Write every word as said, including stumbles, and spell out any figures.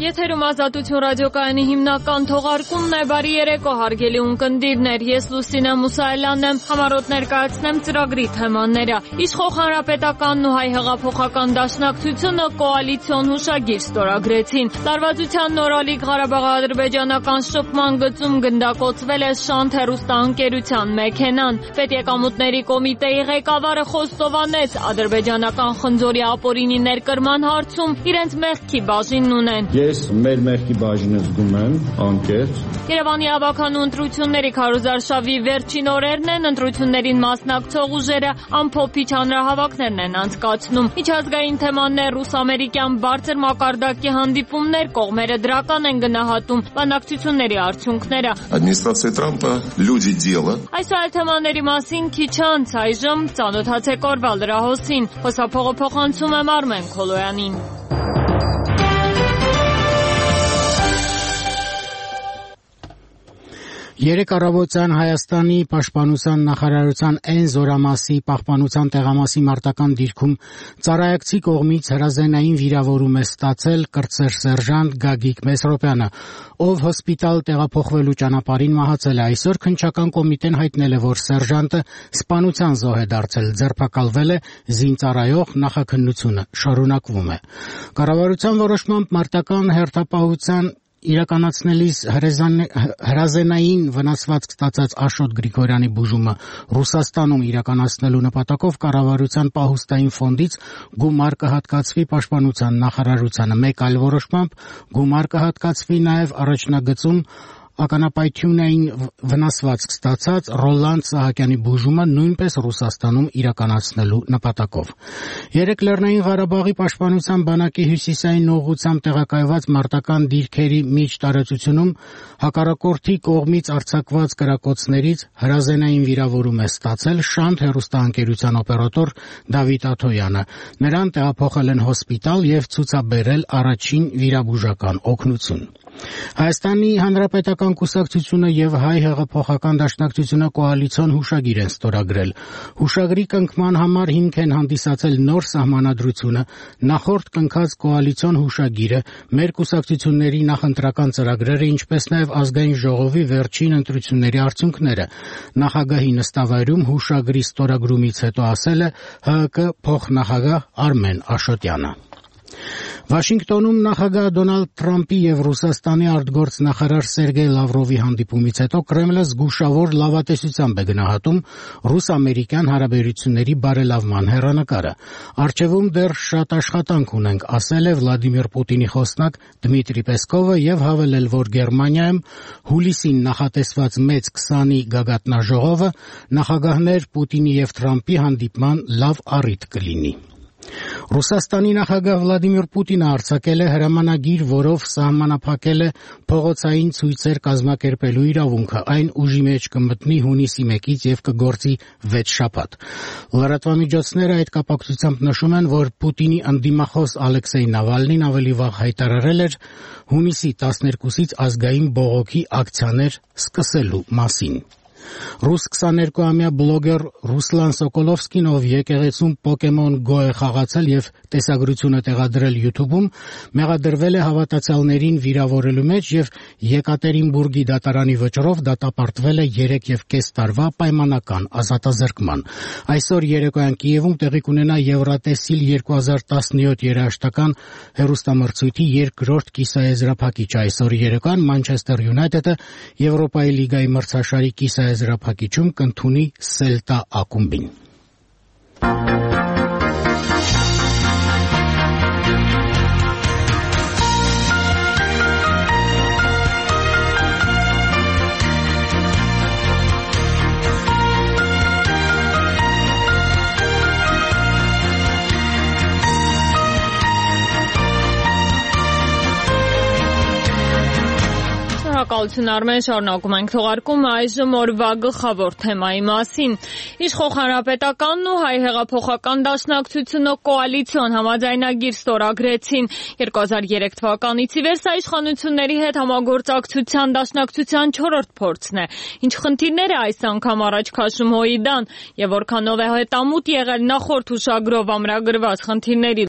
Եթերում Ազատություն ռադիոկայանի հիմնական թողարկումն է։ Բարի երեկո, հարգելի ունկնդիրներ, ես Լուսինե Մուսայելյանն եմ, համառոտ ներկայացնեմ ծրագրի թեմաները։ Իշխող Հանրապետականն ու Հայ հեղափոխական դաշնակցությունը կոալիցիոն հուշագիր ստորագրեցին։ Լարվածության նորալիկ Ղարաբաղ-ադրբեջանական շփման գծում գնդակոծվել է Շանթ հեռուստաընկերության մեքենան։ Պետեկամուտների կոմիտեի ղեկավարը խոստովանեց ադրբեջանական խնձորի ապօրինի ներկրման հարցում իրենց մեղքի բաժինն ունեն։ Ես մեր մեղքի բաժինը զգում եմ անկեղծ։ Երևանի ավականու ընտրությունների քարոզարշավի վերջին օրերն են, ընտրություններին մասնակցող ուժերը ամփոփիչ հանրահավաքներն են անցկացնում։ Միջազգային թեմաններ, ռուս-ամերիկյան բարձր մակարդակի հանդիպումներ, կողմերը դրական են գնահատում բանակցությունների արդյունքները։ Ադմինիստրացիա Թրամփը люди дела։ Այսօր այդ թեմաների մասին քիչ անց այժմ ծանոթացեք օրվա լրահոսին։ Խոսափողը փոխանցում եմ Արմեն Քոլոյանին։ Երեկ առավոտյան Հայաստանի պաշտպանության նախարարության Էն զորամասի պահպանության տեղամասի մարտական դիրքում ծառայակցի կողմից հրազենային վիրավորում է ստացել կրտսեր սերժանտ Գագիկ Մեսրոպյանը, ով հոսպիտալ տեղափոխվելու ճանապարհին մահացել է։ Այսօր քննչական կոմիտեն հայտնել է, որ սերժանտը սպանության զոհ է դարձել, ձերբակալվել է, զինծառայող նախաքննությունը շարունակվում է։ Կառավարության որոշմամբ մարտական հերթապահության իրականացնելիս հրազենային վնասվածք ստացած Աշոտ Գրիգորյանի բուժումը Ռուսաստանում իրականացնելու նպատակով կառավարության պահուստային ֆոնդից գումար կհատկացվի պաշտպանության նախարարությանը։ Մեկ այլ որոշմամբ գումար կհատկացվի նաև առաջնագծում ականապայթյունային վնասվածք ստացած Ռոլանդ Սահակյանի բուժումը նույնպես Ռուսաստանում իրականացնելու նպատակով։ Երեկ Լեռնային Ղարաբաղի պաշտպանության բանակի հյուսիսային ուղղությամբ տեղակայված մարտական դիրքերի միջ տարածությունում հակառակորդի կողմից արձակված կրակոցներից հրազենային վիրավորում է ստացել Շանթ հեռուստաընկերության օպերատոր Դավիթ Աթոյանը։ Նրան տեղափոխել են հոսպիտալ եւ ցուցաբերել առաջին վիրաբուժական օգնություն։ Հայաստանի Հանրապետական կուսակցությունը եւ Հայ հեղափոխական դաշնակցությունը կոալիցիոն հուշագիր են ստորագրել։ Հուշագրի կնքման համար հիմք են հանդիսացել նոր սահմանադրությունը, նախորդ կնքած կոալիցիոն հուշագիրը, մեր կուսակցությունների նախընտրական ծրագրերը, ինչպես նաեւ ազգային ժողովի վերջին ընտրությունների արդյունքները։ Նախագահի նստավայրում հուշագրի ստորագրումից հետո ասել է ՀՀԿ փոխնախագահ Արմեն Աշոտյանը։ Վաշինգտոնում նախագահ Դոնալդ Թրամփի եւ Ռուսաստանի արտգործնախարար Սերգեյ Լավրովի հանդիպումից հետո Կրեմլը զգուշավոր լավատեսությամբ է գնահատում ռուս-ամերիկյան հարաբերությունների բարելավման հեռանկարը։ Առջևում դեռ շատ աշխատանք ունենք, ասել է Վլադիմիր Պուտինի խոսնակ Դմիտրի Պեսկովը եւ հավելել, որ Գերմանիայում հուլիսին նախատեսված մեծ քսանի գագաթնաժողովը նախագահներ Պուտինի եւ Թրամփի հանդիպման լավ առիթ կլինի։ Ռուսաստանի նախագահ Վլադիմիր Պուտինը արձակել է հրամանագիր, որով սահմանափակել է փողոցային ցույցեր կազմակերպելու իրավունքը։ Այն ուժի մեջ կմտնի հունիսի մեկից եւ կգործի վեց շաբաթ։ Լրատվամիջոցները այդ կապակցությամբ նշում են, որ Պուտինի ընդդիմախոս Ալեքսեյ Նավալնին ավելի վաղ հայտարարել էր հունիսի տասներկուսից ազգային բողոքի ակցիաներ սկսելու մասին։ Ռուս քսաներկուամյա բլոգեր Ռուսլան Սոկոլովսկին, ով եկեղեցում Պոկեմոն Go է խաղացել եւ տեսագրությունը տեղադրել YouTube-ում, մեղադրվել է հավատացյալներին վիրավորելու մեջ եւ Եկատերինբուրգի դատարանի վճռով դատապարտվել է երեք եւ կես տարվա պայմանական ազատազրկման։ Այսօր երեկոյան Կիևում տեղի կունենա Եվրատեսիլ երկու հազար տասնյոթ երաժշտական հեռուստամրցույթի երկրորդ կիսաեզրափակիչ։ Այսօր երեկոյան Մանչեսթեր Յունայթեդը Եվրոպայի լիգայի մրցաշարի կիսաեզրափակիչում կընդունի Սելտա ակումբին։ Շնորհակալություն Արմեն, շարունակում ենք թողարկումը այժմ օրվա գլխավոր թեմայի մասին։ Իշխող Հանրապետականն ու Հայ հեղափոխական դաշնակցությունը կոալիցիոն համաձայնագիր ստորագրեցին։ երկու հազար երեք թվականից ի վեր սա իշխանությունների հետ համագործակցության դաշնակցության չորրորդ փորձն է։ Ինչ խնդիրներ է այս անգամ առաջ քաշում ՀՅԴ-ն եւ որքանով է հետամուտ եղել նախորդ հուշագրով ամրագրված խնդիրների